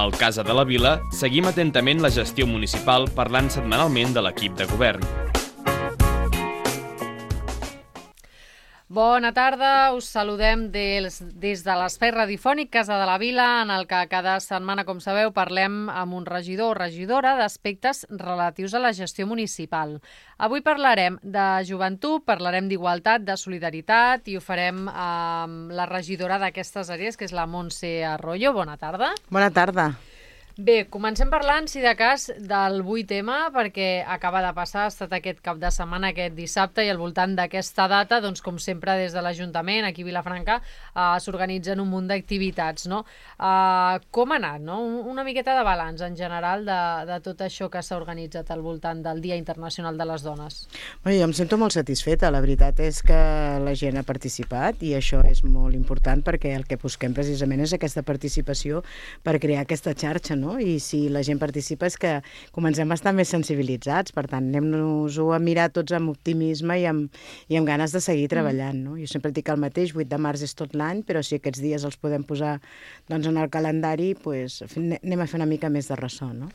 Al Casa de la Vila seguim atentament la gestió municipal parlant setmanalment de l'equip de govern. Bona tarda, us saludem des de l'espai radiofònic Casa de la Vila, en el que cada setmana, com sabeu, parlem amb un regidor o regidora d'aspectes relatius a la gestió municipal. Avui parlarem de joventut, parlarem d'igualtat, de solidaritat, i ho farem amb la regidora d'aquestes àrees, que és la Montse Arroyo. Bona tarda. Bona tarda. Bé, comencem parlant, si de cas, del 8M, perquè acaba de passar, ha estat aquest cap de setmana, aquest dissabte, i al voltant d'aquesta data, doncs, com sempre, des de l'Ajuntament, aquí a Vilafranca, s'organitzen un munt d'activitats, no? Com ha anat, no? Una miqueta de balanç, en general, de tot això que s'ha organitzat al voltant del Dia Internacional de les Dones. Bé, jo em sento molt satisfeta. La veritat és que la gent ha participat i això és molt important perquè el que busquem precisament és aquesta participació per crear aquesta xarxa, no? I si la gent participa és que comencem a estar més sensibilitzats, per tant, anem-nos-ho a mirar tots amb optimisme i amb ganes de seguir treballant, no? Jo sempre dic el mateix, 8 de març és tot l'any, però si aquests dies els podem posar doncs, en el calendari, doncs, anem a fer una mica més de ressò, no?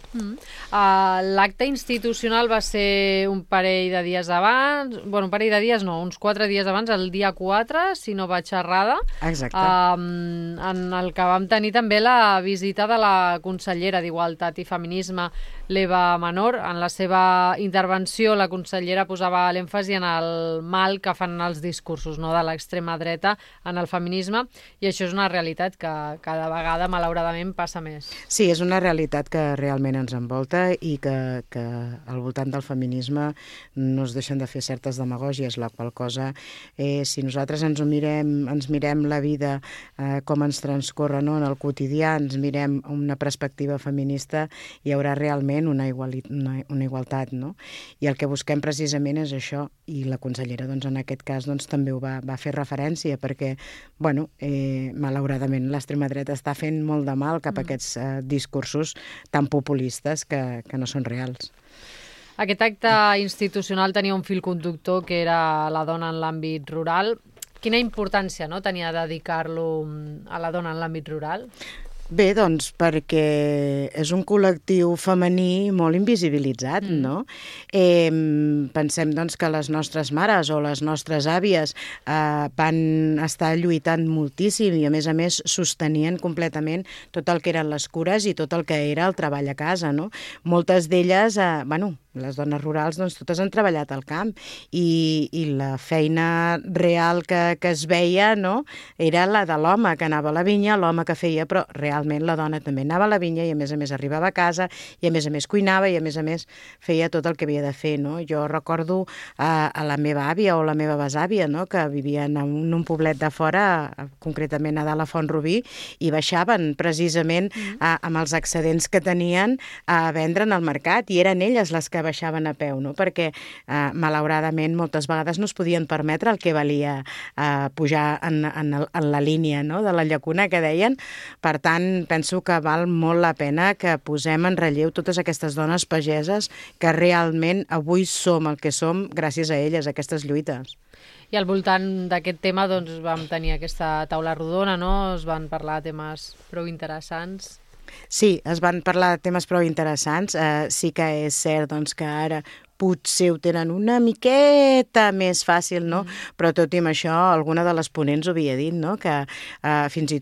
L'acte institucional va ser un parell de dies abans, bueno, un parell de dies no, uns 4 dies abans, el dia 4, si no vaig errada. Exacte. En el que vam tenir també la visita de la consellera d'Igualtat i Feminisme, l'Eva Menor. En la seva intervenció, la consellera posava l'èmfasi en el mal que fan els discursos, no?, de l'extrema dreta en el feminisme, i això és una realitat que cada vegada, malauradament, passa més. Sí, és una realitat que realment ens envolta i que al voltant del feminisme no es deixen de fer certes demagògies, la qual cosa, si nosaltres ens mirem la vida com ens transcorre, no?, en el quotidià, ens mirem una perspectiva feminista, hi haurà realment una igualtat, no? I el que busquem precisament és això, i la consellera, doncs, en aquest cas, doncs, també ho va fer referència, perquè, bueno, malauradament l'extrema dreta està fent molt de mal cap a aquests discursos tan populistes que no són reals. Aquest acte institucional tenia un fil conductor que era la dona en l'àmbit rural. Quina importància, no?, tenia dedicar-lo a la dona en l'àmbit rural? Bé, doncs, perquè és un col·lectiu femení molt invisibilitzat, no? Pensem, doncs, que les nostres mares o les nostres àvies van estar lluitant moltíssim i, a més, sostenien completament tot el que eren les cures i tot el que era el treball a casa, no? Moltes d'elles, les dones rurals, doncs, totes han treballat al camp i la feina real que es veia, no?, era la de l'home que anava a la vinya, l'home que feia, però realment la dona també anava a la vinya i a més arribava a casa i a més cuinava i a més feia tot el que havia de fer, no? Jo recordo a la meva àvia o la meva besàvia, no?, que vivien en un poblet de fora, concretament a dalt a Font-rubí, i baixaven precisament amb els excedents que tenien a vendre en el mercat, i eren elles les que baixaven a peu, no? Perquè malauradament moltes vegades no es podien permetre el que valia pujar en la línia, no?, de la llacuna que deien. Per tant, penso que val molt la pena que posem en relleu totes aquestes dones pageses que realment avui som el que som gràcies a elles, a aquestes lluites. I al voltant d'aquest tema, doncs, vam tenir aquesta taula rodona, no? Es van parlar de temes prou interessants. Sí, es van parlar de temes prou interessants. Sí que és cert, doncs, que ara potser ho tenen una miqueta més fàcil, no? Però tot i amb això, alguna de les ponents ho havia dit, no?, que fins i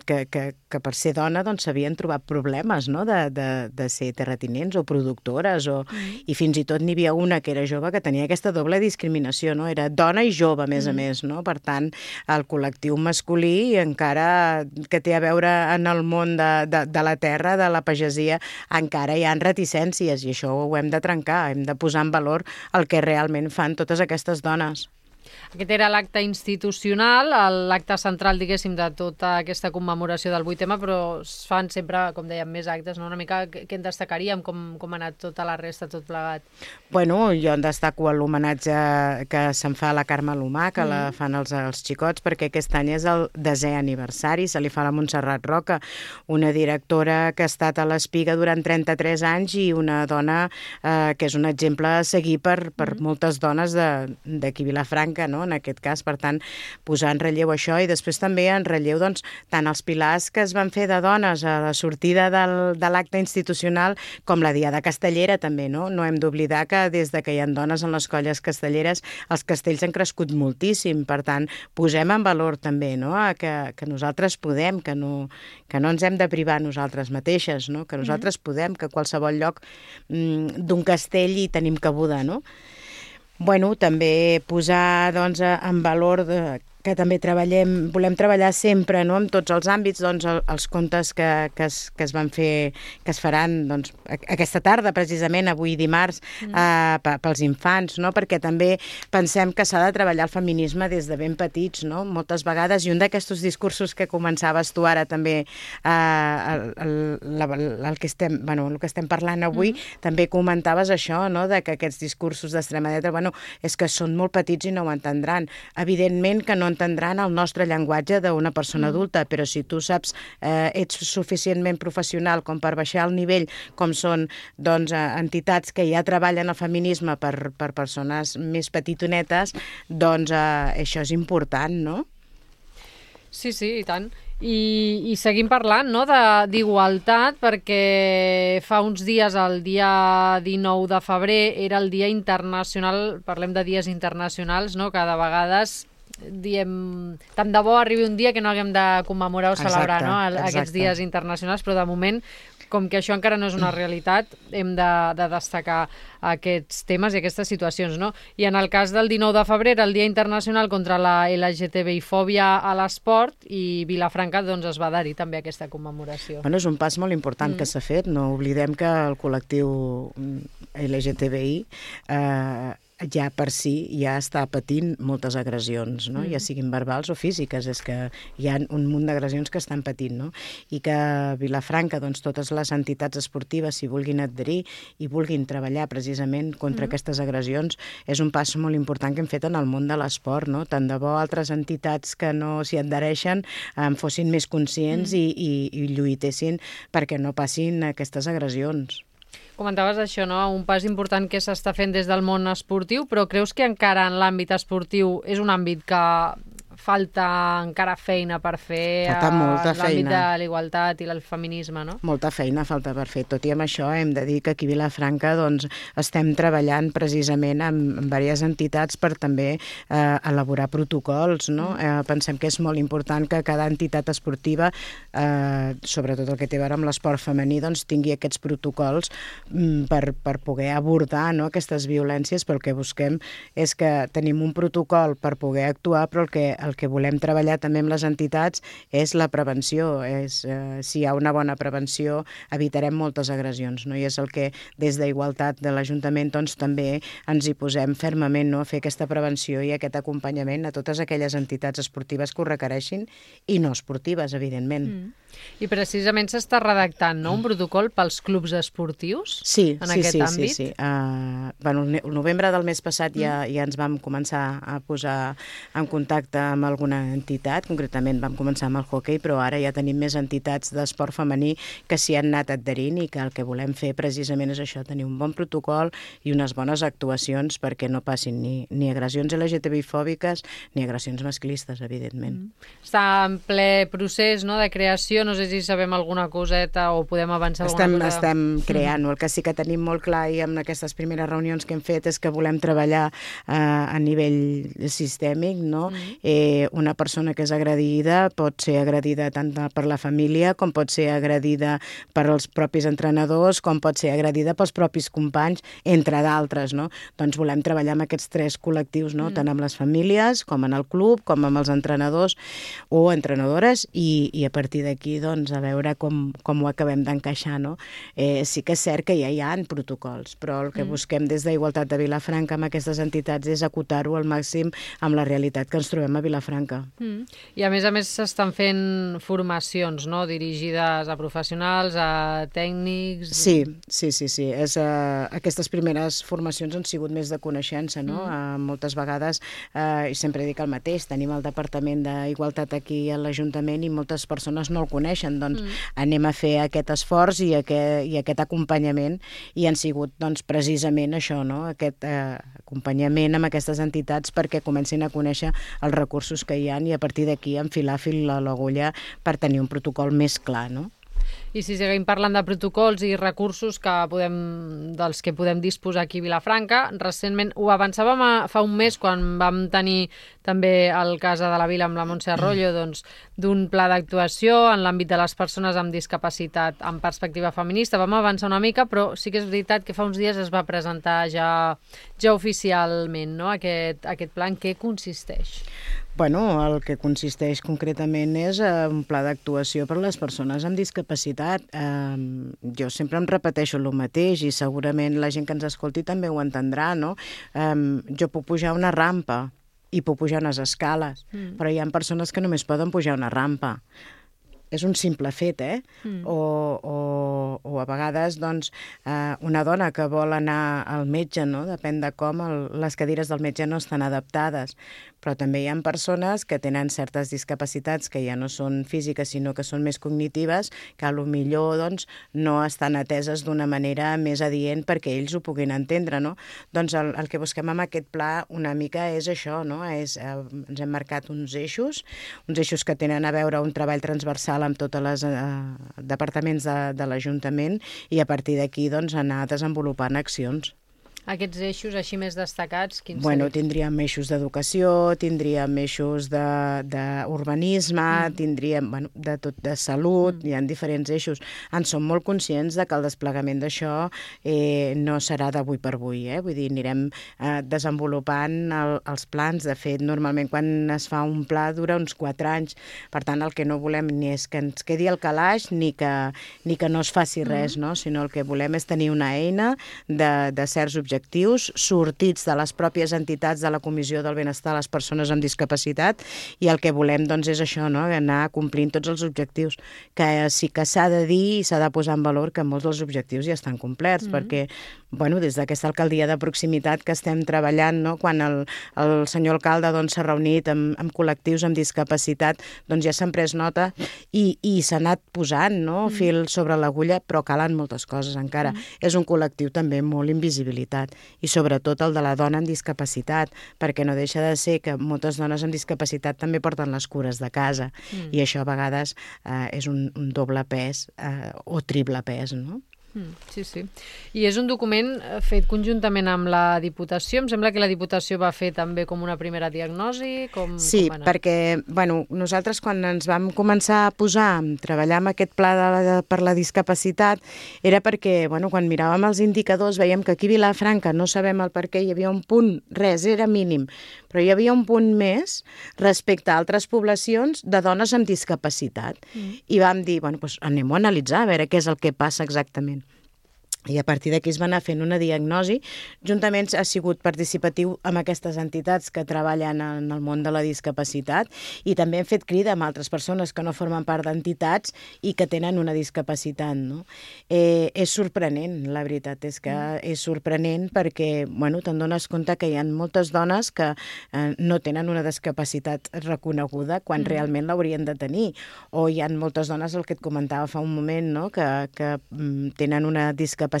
que per ser dona doncs s'havien trobat problemes, no?, de ser terratinents o productores, i fins i tot n'hi havia una que era jove que tenia aquesta doble discriminació, no? Era dona i jove, a més, no? Per tant, el col·lectiu masculí, encara que té a veure en el món de la terra, de la pagesia, encara hi ha reticències, i això ho hem de trencar, hem de posar en valor el que realment fan totes aquestes dones. Aquest era l'acte institucional, l'acte central, diguéssim, de tota aquesta commemoració del 8M, però es fan sempre, com dèiem, més actes, no? Una mica què en destacaríem, com ha anat tota la resta, tot plegat? Bueno, jo en destaco l'homenatge que se'n fa a la Carme Lomà, que la fan els xicots, perquè aquest any és el 10è aniversari, se li fa a la Montserrat Roca, una directora que ha estat a l'Espiga durant 33 anys i una dona que és un exemple a seguir per moltes dones d'aquí Vilafranca, Vilafranca, no?, en aquest cas. Per tant, posar en relleu això i després també en relleu doncs, tant els pilars que es van fer de dones a la sortida de l'acte institucional com la Diada Castellera també, no? No hem d'oblidar que des de que hi ha dones en les colles castelleres els castells han crescut moltíssim. Per tant, posem en valor també, no?, que nosaltres podem, que no ens hem de privar nosaltres mateixes, no?, que nosaltres podem, que a qualsevol lloc d'un castell hi tenim cabuda, no? Bueno, també posar doncs, en valor que també volem treballar sempre, no?, en tots els àmbits, doncs, els contes que es van fer, que es faran doncs, aquesta tarda, precisament, avui dimarts, pels infants, no?, perquè també pensem que s'ha de treballar el feminisme des de ben petits, no?, moltes vegades, i un d'aquests discursos que començaves tu ara també, el que estem parlant avui, també comentaves això, no?, de que aquests discursos d'extrema dreta, és que són molt petits i no ho entendran. Evidentment que no entendran el nostre llenguatge d'una persona adulta, però si tu saps, ets suficientment professional com per baixar el nivell, com són doncs, entitats que ja treballen el feminisme per persones més petitonetes, doncs això és important, no? Sí, i tant. I seguim parlant, no?, d'igualtat, perquè fa uns dies, el dia 19 de febrer, era el Dia Internacional, parlem de dies internacionals, no?, que de vegades diem, tant de bo arribi un dia que no haguem de commemorar o celebrar, no?, aquests dies internacionals, però de moment, com que això encara no és una realitat, hem de destacar aquests temes i aquestes situacions, no? I en el cas del 19 de febrer, el Dia Internacional contra la LGTBI-fòbia a l'esport, i Vilafranca doncs, es va adherir també a aquesta commemoració. És un pas molt important que s'ha fet. No oblidem que el col·lectiu LGTBI ja per si ja està patint moltes agressions, no? Ja siguin verbals o físiques, és que hi ha un munt d'agressions que estan patint, no? I que a Vilafranca, doncs, totes les entitats esportives s'hi vulguin adherir i vulguin treballar precisament contra aquestes agressions, és un pas molt important que hem fet en el món de l'esport, no? Tant de bo altres entitats que no s'hi adhereixen fossin més conscients i lluitessin perquè no passin aquestes agressions. Comentaves això, no?, un pas important que s'està fent des del món esportiu, però creus que encara en l'àmbit esportiu és un àmbit que falta encara feina per fer a l'àmbit de l'igualtat i el feminisme, no? Molta feina falta per fer. Tot i amb això hem de dir que aquí a Vilafranca doncs, estem treballant precisament amb diverses entitats per també elaborar protocols, no? Pensem que és molt important que cada entitat esportiva, sobretot el que té a veure amb l'esport femení, doncs, tingui aquests protocols per poder abordar, no?, aquestes violències, però el que busquem és que tenim un protocol per poder actuar, però el que volem treballar també amb les entitats és la prevenció. Si hi ha una bona prevenció, evitarem moltes agressions, no? I és el que des d'Igualtat de l'Ajuntament doncs, també ens hi posem fermament, no?, a fer aquesta prevenció i aquest acompanyament a totes aquelles entitats esportives que ho requereixin i no esportives, evidentment. I precisament s'està redactant, no?, un protocol pels clubs esportius en aquest àmbit? Sí. El novembre del mes passat ja ens vam començar a posar en contacte amb alguna entitat, concretament vam començar amb el hoquei, però ara ja tenim més entitats d'esport femení que s'hi han anat adherint i que el que volem fer precisament és això, tenir un bon protocol i unes bones actuacions perquè no passin ni agressions LGTBI-fòbiques ni agressions masclistes, evidentment. Està en ple procés, no?, de creació, no sé si sabem alguna coseta o podem avançar alguna cosa. Estem creant-ho. El que sí que tenim molt clar i amb aquestes primeres reunions que hem fet és que volem treballar a nivell sistèmic, no? Una persona que és agredida pot ser agredida tant per la família com pot ser agredida per els propis entrenadors, com pot ser agredida pels propis companys, entre d'altres, no? Doncs volem treballar amb aquests tres col·lectius, no? Tant amb les famílies, com en el club, com amb els entrenadors o entrenadores i a partir d'aquí doncs, a veure com ho acabem d'encaixar, no? Sí que és cert que ja hi ha protocols, però el que busquem des d'Igualtat de Vilafranca amb aquestes entitats és acotar-ho al màxim amb la realitat que ens trobem a Vilafranca Vilafranca. I a més s'estan fent formacions, no?, dirigides a professionals, a tècnics... Sí. Aquestes primeres formacions han sigut més de coneixença, no? Moltes vegades, i sempre dic el mateix, tenim el Departament d'Igualtat aquí a l'Ajuntament i moltes persones no el coneixen, doncs anem a fer aquest esforç i aquest acompanyament, i han sigut doncs, precisament això, no? Aquest acompanyament amb aquestes entitats perquè comencin a conèixer els recursos que hi ha i a partir d'aquí enfilar fil a l'agulla per tenir un protocol més clar, no? I si seguim parlant de protocols i recursos dels que podem disposar aquí a Vilafranca, recentment ho avançàvem fa un mes quan vam tenir també el cas de la Vila amb la Montse Arroyo, doncs, d'un pla d'actuació en l'àmbit de les persones amb discapacitat amb perspectiva feminista. Vam avançar una mica, però sí que és veritat que fa uns dies es va presentar ja oficialment, no?, aquest pla. En què consisteix? Bueno, el que consisteix concretament és un pla d'actuació per a les persones amb discapacitat. Jo sempre em repeteixo el mateix i segurament la gent que ens escolti també ho entendrà, no? Jo puc pujar una rampa i puc pujar unes escales, però hi ha persones que només poden pujar una rampa. És un simple fet, O a vegades, doncs, una dona que vol anar al metge, no? Depèn de com, les cadires del metge no estan adaptades. Però també hi ha persones que tenen certes discapacitats que ja no són físiques, sinó que són més cognitives, que millor doncs, no estan ateses d'una manera més adient perquè ells ho puguin entendre, no? Doncs el que busquem amb aquest pla una mica és això, no? Ens hem marcat uns eixos que tenen a veure un treball transversal amb tots els departaments de l'Ajuntament i a partir d'aquí doncs, anar desenvolupant accions. Aquests eixos així més destacats, quins serien? Tindríem eixos d'educació, tindríem eixos d'urbanisme, tindríem de salut, hi ha diferents eixos. En som molt conscients de que el desplegament d'això no serà d'avui per avui, Vull dir, anirem desenvolupant els plans. De fet, normalment quan es fa un pla dura uns 4 anys. Per tant, el que no volem ni és que ens quedi al calaix ni que no es faci res, no? Sinó el que volem és tenir una eina de certs objectius sortits de les pròpies entitats de la Comissió del Benestar a les Persones amb Discapacitat, i el que volem doncs, és això, no? Anar complint tots els objectius, que sí que s'ha de dir i s'ha de posar en valor que molts dels objectius ja estan complerts, perquè des d'aquesta alcaldia de proximitat que estem treballant, no? Quan el senyor alcalde s'ha reunit amb col·lectius amb discapacitat, doncs ja s'han pres nota i s'ha anat posant, no? Fil sobre l'agulla, però calen moltes coses encara. És un col·lectiu també molt invisibilitat, i sobretot el de la dona amb discapacitat, perquè no deixa de ser que moltes dones amb discapacitat també porten les cures de casa, i això a vegades és un doble pes o triple pes, no? Sí. I és un document fet conjuntament amb la Diputació. Em sembla que la Diputació va fer també com una primera diagnosi. Sí, perquè nosaltres quan ens vam començar a treballar amb aquest pla per la discapacitat era perquè quan miràvem els indicadors veiem que aquí a Vilafranca no sabem el per què hi havia un punt, res, era mínim, però hi havia un punt més respecte a altres poblacions de dones amb discapacitat. I vam dir, anem-ho a analitzar, a veure què és el que passa exactament. I a partir d'aquí es va anar fent una diagnosi. Juntament ha sigut participatiu amb aquestes entitats que treballen en el món de la discapacitat, i també hem fet crida amb altres persones que no formen part d'entitats i que tenen una discapacitat, no? És sorprenent, la veritat és que és sorprenent perquè te'n dones compte que hi ha moltes dones que no tenen una discapacitat reconeguda quan realment l'haurien de tenir, o hi ha moltes dones, el que et comentava fa un moment, no? que tenen una discapacitat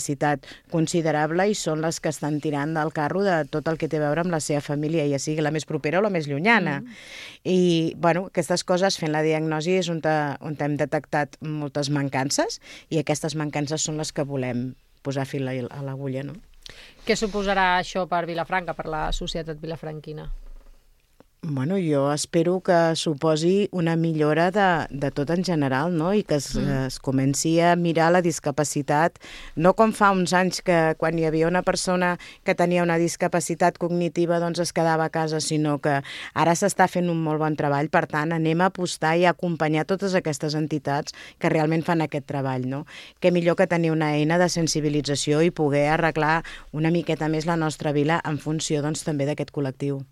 considerable i són les que estan tirant del carro de tot el que té a veure amb la seva família, ja sigui la més propera o la més llunyana. I aquestes coses, fent la diagnosi, és on hem detectat moltes mancances, i aquestes mancances són les que volem posar fil a l'agulla, no? Què suposarà això per Vilafranca, per la societat vilafranquina? Jo espero que suposi una millora de tot en general, no? I que es comenci a mirar la discapacitat, no com fa uns anys que quan hi havia una persona que tenia una discapacitat cognitiva es quedava a casa, sinó que ara s'està fent un molt bon treball. Per tant, anem a apostar i a acompanyar totes aquestes entitats que realment fan aquest treball, no? Què millor que tenir una eina de sensibilització i poder arreglar una miqueta més la nostra vila en funció també d'aquest col·lectiu.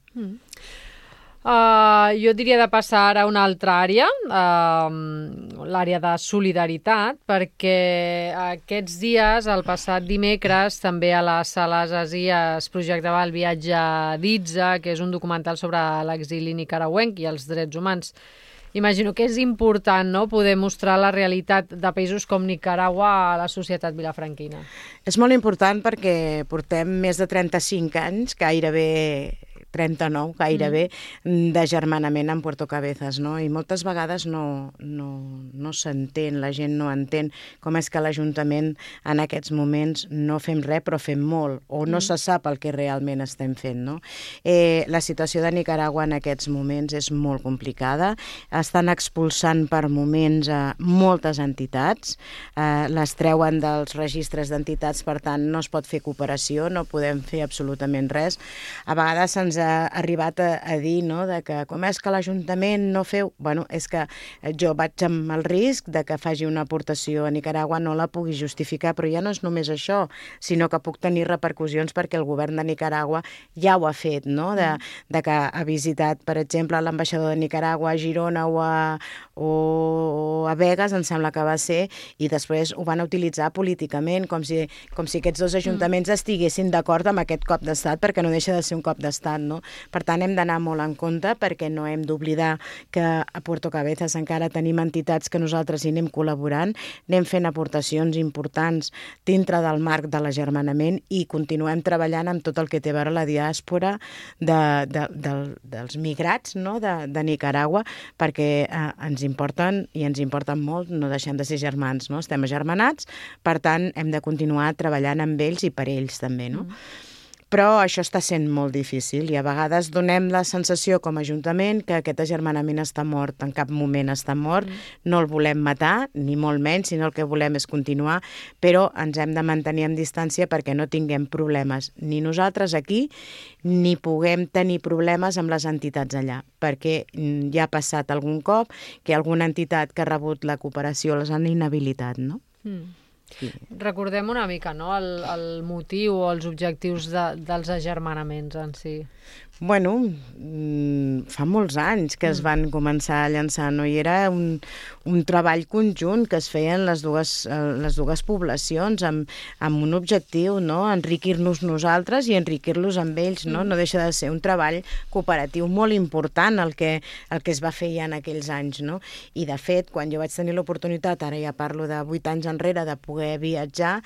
Jo diria de passar ara a una altra àrea, l'àrea de solidaritat, perquè aquests dies, el passat dimecres, també a les sales Asia es projectava el viatge d'Itza, que és un documental sobre l'exili nicaragüenc i els drets humans. Imagino que és important, no?, poder mostrar la realitat de països com Nicaragua a la societat vilafranquina. És molt important perquè portem més de 35 anys, gairebé 39, gairebé, d'agermanament amb Puerto Cabezas, no? I moltes vegades no s'entén, la gent no entén com és que l'Ajuntament en aquests moments no fem res, però fem molt, o no se sap el que realment estem fent, no? La situació de Nicaragua en aquests moments és molt complicada, estan expulsant per moments moltes entitats, les treuen dels registres d'entitats, per tant no es pot fer cooperació, no podem fer absolutament res. A vegades se'ns ha arribat a dir, no?, de que com és que l'Ajuntament no feu... Bueno, és que jo vaig amb el risc de que faci una aportació a Nicaragua, no la pugui justificar, però ja no és només això, sinó que puc tenir repercussions perquè el govern de Nicaragua ja ho ha fet, no?, de que ha visitat, per exemple, l'ambaixador de Nicaragua a Girona o a Begues, em sembla que va ser, i després ho van utilitzar políticament, com si aquests dos ajuntaments estiguessin d'acord amb aquest cop d'estat, perquè no deixa de ser un cop d'estat, no? Per tant, hem d'anar molt en compte perquè no hem d'oblidar que a Puerto Cabezas encara tenim entitats que nosaltres hi anem col·laborant, anem fent aportacions importants dintre del marc de l'agermanament i continuem treballant amb tot el que té a veure la diàspora dels migrats, no?, de Nicaragua, perquè ens importen i ens importen molt, no deixem de ser germans, no? Estem agermanats, per tant, hem de continuar treballant amb ells i per ells també, no? Però això està sent molt difícil i a vegades donem la sensació com a Ajuntament que aquest agermanament està mort, en cap moment està mort, no el volem matar, ni molt menys, sinó el que volem és continuar, però ens hem de mantenir en distància perquè no tinguem problemes, ni nosaltres aquí, ni puguem tenir problemes amb les entitats allà, perquè ja ha passat algun cop que alguna entitat que ha rebut la cooperació les han inhabilitat, no? Sí. Recordem una mica, no?, el motiu o els objectius dels agermanaments en si. Bueno, fa molts anys que es van començar a llançar, no? I era un treball conjunt que es feien les dues poblacions amb un objectiu, no?, enriquir-nos nosaltres i enriquir-los amb ells, no? No deixa de ser un treball cooperatiu molt important el que es va fer ja en aquells anys, no? I de fet, quan jo vaig tenir l'oportunitat, ara ja parlo de 8 anys enrere, de poder viatjar,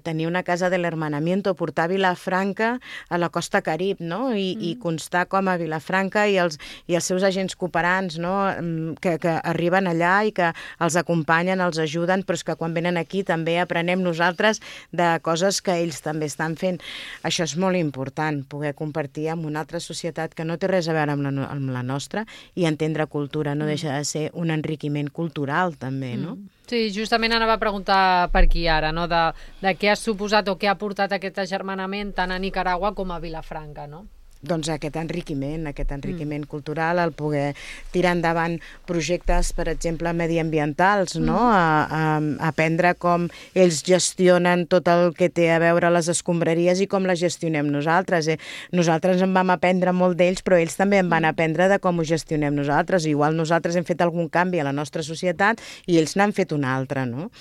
tenir una casa de l'hermanamiento, portar Vilafranca a la costa Carib, no? I constar com a Vilafranca i els seus agents cooperants, no?, que arriben allà i que els acompanyen, els ajuden, però és que quan venen aquí també aprenem nosaltres de coses que ells també estan fent. Això és molt important, poder compartir amb una altra societat que no té res a veure amb la nostra i entendre cultura, no deixa de ser un enriquiment cultural també, no? Sí, justament anava a preguntar per aquí ara, no?, de què ha suposat o què ha portat aquest agermanament tant a Nicaragua com a Vilafranca, no? Doncs aquest enriquiment cultural, el poder tirar endavant projectes, per exemple, mediambientals, no? A aprendre com ells gestionen tot el que té a veure les escombraries i com les gestionem nosaltres. Nosaltres en vam aprendre molt d'ells, però ells també en van aprendre de com ho gestionem nosaltres. Igual nosaltres hem fet algun canvi a la nostra societat i ells n'han fet un altre, no?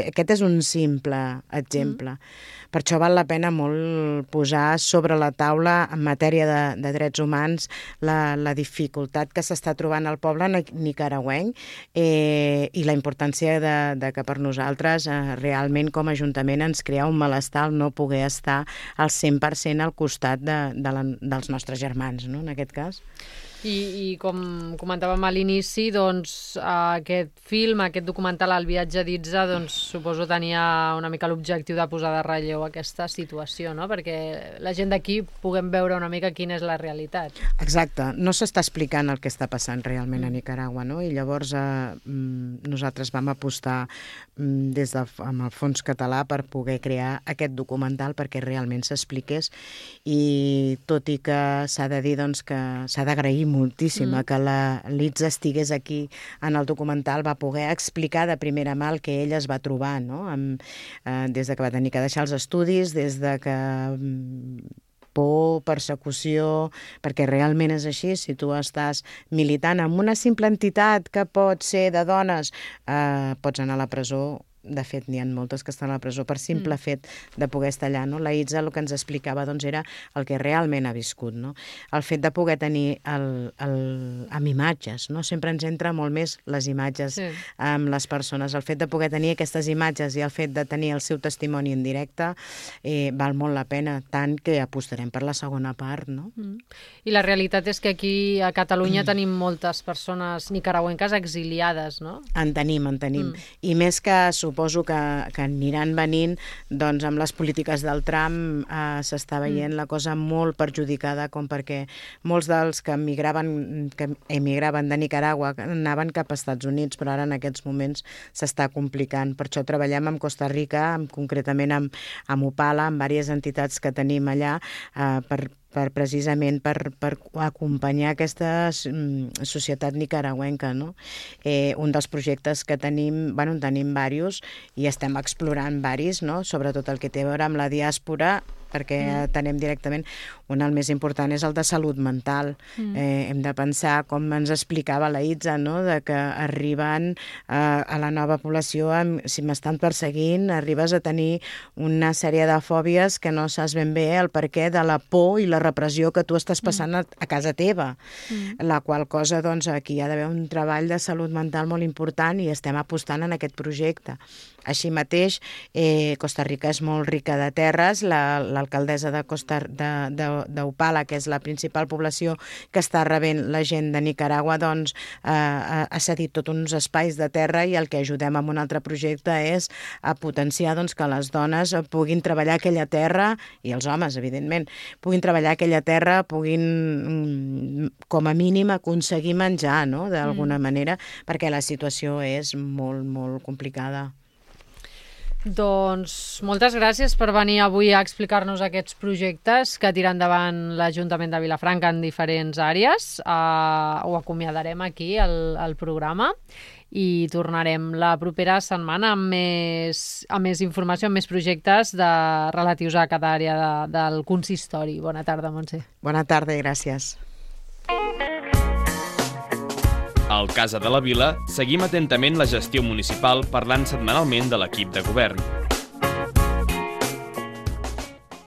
Aquest és un simple exemple. Per això val la pena molt posar sobre la taula en matèria de drets humans la dificultat que s'està trobant al poble nicaragüenc i la importància de que per nosaltres realment com a Ajuntament ens crea un malestar el no poder estar al 100% al costat dels nostres germans, no?, en aquest cas. I com comentàvem a l'inici, doncs aquest film, aquest documental El viatge d'Itza, doncs suposo tenia una mica l'objectiu de posar de relleu aquesta situació, no?, perquè la gent d'aquí puguem veure una mica quina és la realitat. Exacte, no s'està explicant el que està passant realment a Nicaragua, no? I llavors nosaltres vam apostar amb el Fons Català per poder crear aquest documental perquè realment s'expliqués i tot i que s'ha de dir doncs, que s'ha d'agrair moltíssim que l'Itza estigués aquí en el documental, va poder explicar de primera mà el que ella es va trobar, no? Des de que va tenir que deixar els estudis, des de que por, persecució, perquè realment és així. Si tu estàs militant en una simple entitat que pot ser de dones, pots anar a la presó. De fet, n'hi ha moltes que estan a la presó per simple fet de poder estar allà. No? La Itza el que ens explicava era el que realment ha viscut. No? El fet de poder tenir amb imatges, no? Sempre ens entra molt més les imatges amb les persones. El fet de poder tenir aquestes imatges i el fet de tenir el seu testimoni en directe val molt la pena, tant que apostarem per la segona part. No? I la realitat és que aquí a Catalunya tenim moltes persones nicaragüenques exiliades, no? En tenim. I més que suposo que aniran venint, doncs amb les polítiques del Trump s'està veient la cosa molt perjudicada, com perquè molts dels que emigraven de Nicaragua anaven cap als Estats Units, però ara en aquests moments s'està complicant. Per això treballem amb Costa Rica, concretament amb Upala, amb diverses entitats que tenim allà, precisament per acompanyar aquesta societat nicaragüenca. No? Un dels projectes que tenim, en tenim diversos i estem explorant diversos, no? Sobretot el que té a veure amb la diàspora, perquè tenem directament, el més important és el de salut mental. Hem de pensar, com ens explicava la Itza, no? De que arriben a la nova població, si m'estan perseguint, arribes a tenir una sèrie de fòbies que no saps ben bé el perquè de la por i la repressió que tu estàs passant a casa teva. La qual cosa, doncs, aquí hi ha d'haver un treball de salut mental molt important i estem apostant en aquest projecte. Així mateix, Costa Rica és molt rica de terres. L'alcaldessa d'Upala, que és la principal població que està rebent la gent de Nicaragua, doncs ha cedit tots uns espais de terra i el que ajudem amb un altre projecte és a potenciar que les dones puguin treballar aquella terra, i els homes, evidentment, puguin treballar aquella terra, puguin, com a mínim, aconseguir menjar, no?, d'alguna manera, perquè la situació és molt, molt complicada. Doncs moltes gràcies per venir avui a explicar-nos aquests projectes que tira endavant l'Ajuntament de Vilafranca en diferents àrees. Ho acomiadarem aquí, al programa, i tornarem la propera setmana amb més informació, amb més projectes relatius a cada àrea del consistori. Bona tarda, Montse. Bona tarda i gràcies. Al Casa de la Vila seguim atentament la gestió municipal parlant setmanalment de l'equip de govern.